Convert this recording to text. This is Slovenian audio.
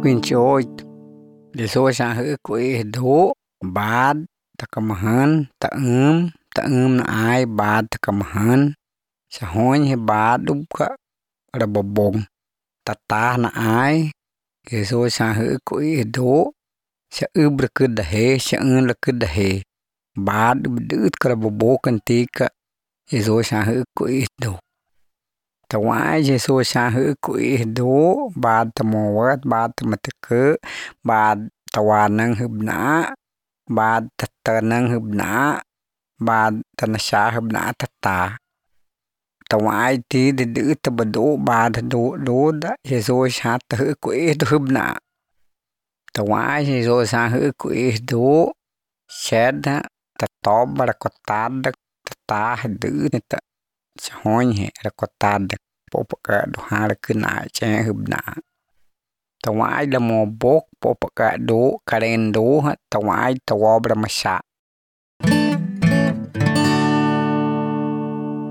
28. Jesus sang hữu quỷ đố bát ta cầm hân ta na ai bát ta cầm hân sa hôn he bát đúc cả ra bờ bông ta na ai Jesus sang hữu quỷ đố sa ư cơ dahe sa ư cơ dahe bát đứt cả bờ bông kan tika Jesus sang hữu quỷ đố ta wai Jesus sang hữu quỷ đố bát ta mowat bát ta matke bát tawanang hubna bát tanang hubna bát tanasha hubna tata tawai ti de ta bado bát do da Jesus hat hữu quỷ đố hubna tawai Jesus sang hữu quỷ đố shed ta tob rakotad ta hdu ta hon he rakotad popaka do har kena che hubna tawai la mo bok popaka do karen do tawai tawab ramasha